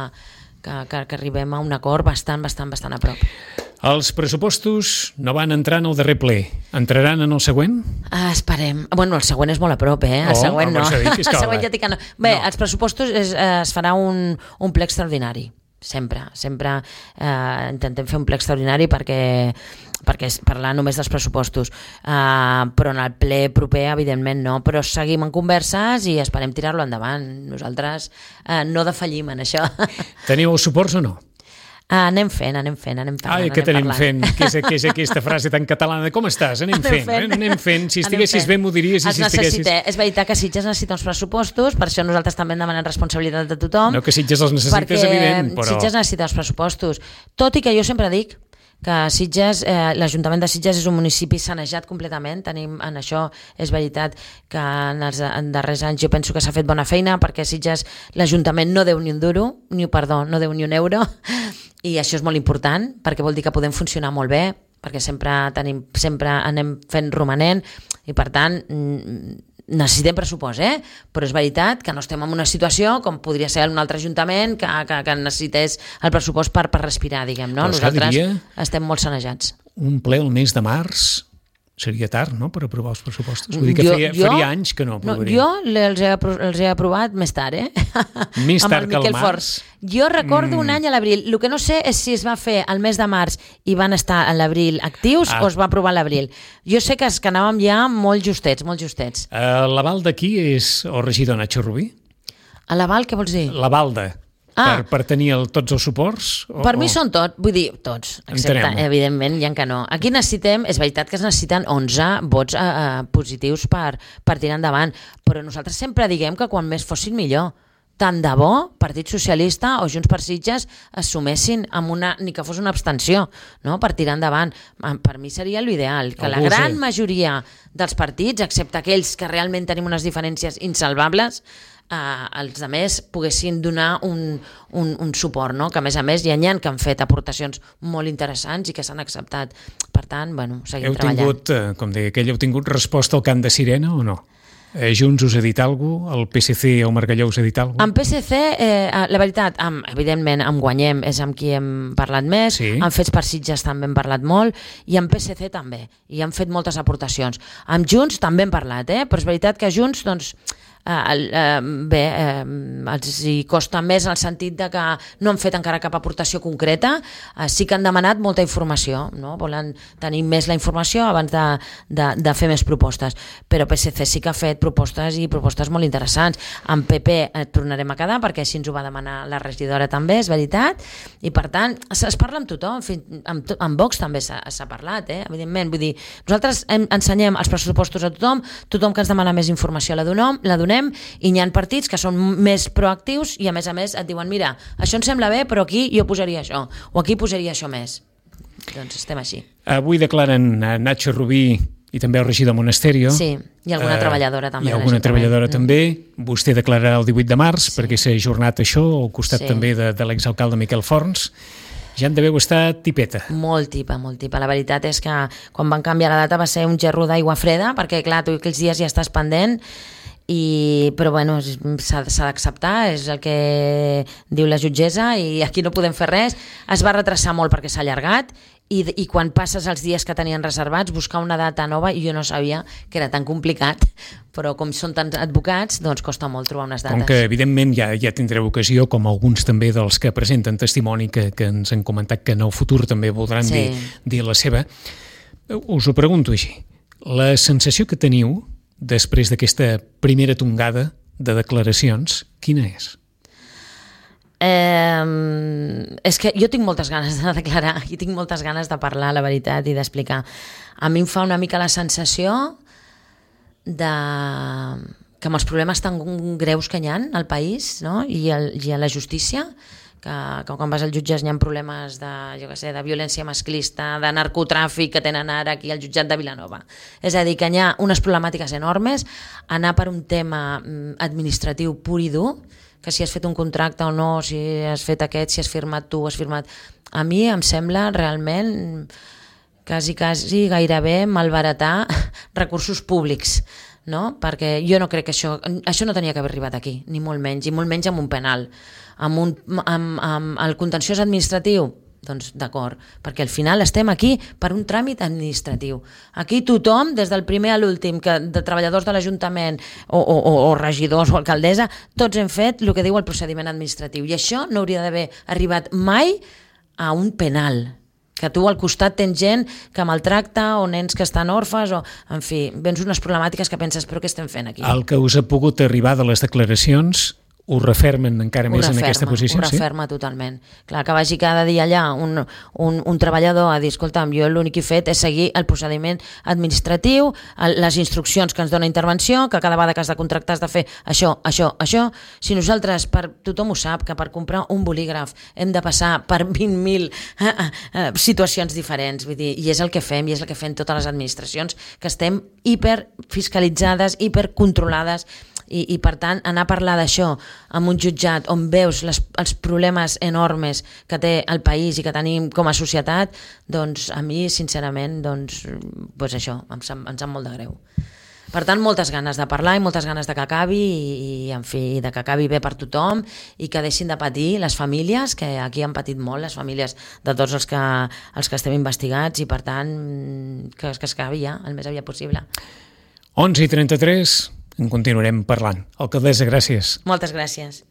que, que, que arribem a un acord bastant, bastant, bastant a prop. Els pressupostos no van entrar en el darrer ple. Entraran en el següent? Ah, esperem. Bueno, el següent és molt a prop, eh? El oh, següent no. Dit, el següent ja dic que no. Bé, no. Els pressupostos es, es farà un, un ple extraordinari. Sempre. Sempre eh, intentem fer un ple extraordinari perquè perquè és parlar només dels pressupostos. Uh, però en el ple proper, evidentment, no. Però seguim en converses i esperem tirar-lo endavant. Nosaltres uh, no defallim en això. Teniu els suports o no? Uh, anem fent, anem fent, anem parlant. Ai, què anem tenim fent? Què és, què és aquesta frase tan catalana? Com estàs? Anem, anem fent, fent. Eh? Anem fent. Si estiguessis bé m'ho diries. I si estiguessis... És veritat que Sitges necessita uns pressupostos, per això nosaltres també demanem responsabilitat de tothom. No que Sitges els necessites, evident, però... Sitges necessita els pressupostos. Tot i que jo sempre dic que Sitges, eh, l'Ajuntament de Sitges és un municipi sanejat completament, tenim en això, és veritat que en els en darrers anys jo penso que s'ha fet bona feina perquè Sitges, l'Ajuntament no deu ni un duro, ni perdó, no deu ni un euro, i això és molt important perquè vol dir que podem funcionar molt bé, perquè sempre tenim, sempre anem fent romanent i per tant necessitem pressupost, eh? Però és veritat que no estem en una situació com podria ser un altre ajuntament que, que, que necessités el pressupost per, per respirar, diguem, no? Nosaltres estem molt sanejats. Un ple el mes de març seria tard, no?, per aprovar els pressupostos. Vull dir que Jo- feia, jo- faria anys que no No, aprovaria. jo els he, apro- els he aprovat més tard, eh? Més Amb tard el que el Miquel març? Forns. Jo recordo Mm. un any a l'abril. El que no sé és si es va fer al mes de març i van estar a l'abril actius Ah. o es va aprovar a l'abril. Jo sé que, es, que anàvem ja molt justets, molt justets. Uh, L'aval d'aquí és el regidor Nacho Rubí? A l'aval, què vols dir? L'aval de... Ah. Per, per tenir el, tots els suports? O, Per mi o... són tots, vull dir, tots, excepte, Entenem-ho. evidentment, hi ha que no. Aquí necessitem, és veritat que es necessiten onze vots eh, eh, positius per, per tirar endavant, però nosaltres sempre diguem que quan més fossin millor. Tant de bo, Partit Socialista o Junts per Sitges es sumessin amb una, ni que fos una abstenció, no?, per tirar endavant. Per mi seria l'ideal, que la Algú gran sé. majoria dels partits, excepte aquells que realment tenim unes diferències insalvables, eh, els altres poguessin donar un, un, un suport, no? Que a més a més hi ha gent que han fet aportacions molt interessants i que s'han acceptat. Per tant, bueno, seguim Heu treballant. tingut, eh, com deia aquell, heu tingut resposta al cant de sirena o no? Eh, Junts us ha dit alguna cosa? El P S C o Margalló us ha dit alguna cosa? Amb P S C, eh, la veritat, amb, evidentment, amb Guanyem és amb qui hem parlat més, Sí. amb Fets per Sitges també hem parlat molt, i amb P S C també, i han fet moltes aportacions. Amb Junts també hem parlat, eh? Però és veritat que Junts, doncs, eh, eh, bé, eh, els hi costa més en el sentit de que no han fet encara cap aportació concreta, eh, sí que han demanat molta informació, no? Volen tenir més la informació abans de, de, de fer més propostes, però P S C sí que ha fet propostes i propostes molt interessants. Amb P P eh, tornarem a quedar perquè així ens ho va demanar la regidora també, és veritat, i per tant es, es parla amb tothom, fins- amb, to- amb Vox també s'ha s'ha parlat, eh? Evidentment, vull dir, nosaltres hem, ensenyem els pressupostos a tothom, tothom que ens demana més informació la donem, la donem, i hi ha partits que són més proactius i a més a més et diuen, mira, això em sembla bé, però aquí jo posaria això, o aquí posaria això més. Doncs estem així. Avui declaren a Nacho Rubí i també el regidor Monasterio. Sí, i alguna treballadora també I de alguna l'Ajuntament. treballadora Mm. també. Vostè declararà el divuit de març perquè s'ha ajornat això, al costat Sí. també de, de l'exalcalde Miquel Forns. Ja en deveu estar tipeta. Molt tipa, molt tipa. La veritat és que quan van canviar la data va ser un gerro d'aigua freda, perquè clar, tu aquells dies ja estàs pendent, i, però bueno, és- s'ha s'ha d'acceptar, és el que diu la jutgessa i aquí no podem fer res. Es va retrasar molt perquè s'ha allargat i, i quan passes els dies que tenien reservats buscar una data nova, i jo no sabia que era tan complicat, però com són tants advocats, doncs costa molt trobar unes dates. Com que, evidentment, ja, ja tindreu ocasió, com alguns també dels que presenten testimoni que, que ens han comentat que en el futur també voldran Sí. dir, dir la seva. Us ho pregunto així. La sensació que teniu després d'aquesta primera tongada de declaracions, quina és? Eh, és que jo tinc moltes ganes de declarar i tinc moltes ganes de parlar la veritat i d'explicar. A mi em fa una mica la sensació de que amb els problemes tan greus que hi ha al país, no? I, el, i a la justícia, que, que quan vas al jutges hi ha problemes de, jo què sé, de violència masclista, de narcotràfic que tenen ara aquí al jutjat de Vilanova. És a dir, que hi ha unes problemàtiques enormes, anar per un tema administratiu pur i dur, que si has fet un contracte o no, si has fet aquest, si has firmat tu, has firmat... A mi em sembla realment quasi, quasi gairebé malbaratar recursos públics, no? Perquè jo no crec que això... Això no tenia que haver arribat aquí, ni molt menys, i molt menys amb un penal. Amb, un, amb, amb el contenciós administratiu, doncs d'acord, perquè al final estem aquí per un tràmit administratiu. Aquí tothom, des del primer a l'últim, que de treballadors de l'Ajuntament o, o, o regidors o alcaldessa, tots hem fet el que diu el procediment administratiu, i això no hauria d'haver arribat mai a un penal, que tu al costat tens gent que maltracta o nens que estan orfes o, en fi, vens unes problemàtiques que penses, però què estem fent aquí? El que us ha pogut arribar de les declaracions ho refermen encara més en aquesta posició? Ho referma sí? totalment. Clar, que vagi cada dia allà un, un, un treballador a dir, escolta'm, jo l'únic que he fet és seguir el procediment administratiu, el, les instruccions que ens dona intervenció, que cada vegada que has de contractar has de fer això, això, això. Si nosaltres, per, tothom ho sap, que per comprar un bolígraf hem de passar per vint mil eh, eh, situacions diferents, vull dir, i és el que fem, i és el que fem totes les administracions, que estem hiperfiscalitzades, hipercontrolades, I, i per tant anar a parlar d'això amb un jutjat on veus les, els problemes enormes que té el país i que tenim com a societat, doncs a mi sincerament doncs, doncs això, em, em sap molt de greu. Per tant, moltes ganes de parlar i moltes ganes de que acabi i, i en fi, de que acabi bé per tothom i que deixin de patir les famílies, que aquí han patit molt les famílies de tots els que, els que estem investigats i per tant que, que es acabi ja el més aviat possible. onze i trenta-tres, en continuarem parlant. Alcaldessa, gràcies. Moltes gràcies.